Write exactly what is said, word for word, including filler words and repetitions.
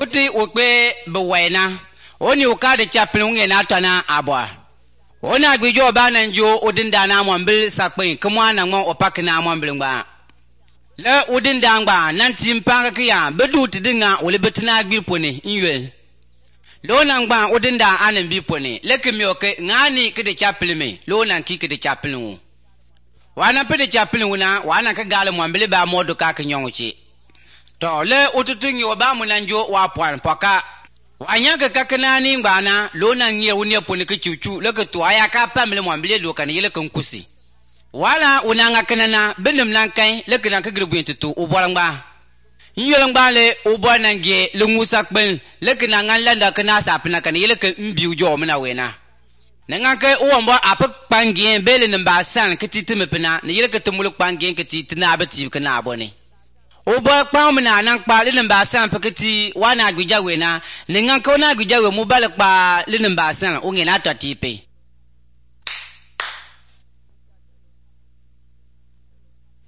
Uti ukbe bewena. Oni ukade chapin unge na tana abwa. Ona gwijo bana njo udinda na mwambil sakpin kumwa na mwa opak na mwambil ngba. Le udinda ngba nanti mpanga kiya bedu tidinga ule betina gwil pone inywel. Lona ngba udinda anen bi pone leke mioke ngani kide chapin me lona ki kide chapin wu. Wana pede chapin wuna wana ka gale mwambil ba modu ka kinyonguchi. To le ututungi oba munanjo wa pwan poka. Wanyaka kakanani ngbana lona ngie unia pone ke chuchu leke tuaya ka pamle mwambile lokan yele konkusi wala unanga kanana benem lankai leke na kagribu entutu ubolangba nyelangba le ubona ngie lungusa kben leke na nganlanda kana sapna kan yele ke mbiu jo mena wena nangake uwombo apak pangien bele namba san ketitime pena ne yele ke tumuluk pangien ketitina abati kana abone Oba kwa mna nangpa linemba san paketi wana gwija wena ninganko na gwija we mubale kwa linemba san unge na twatipe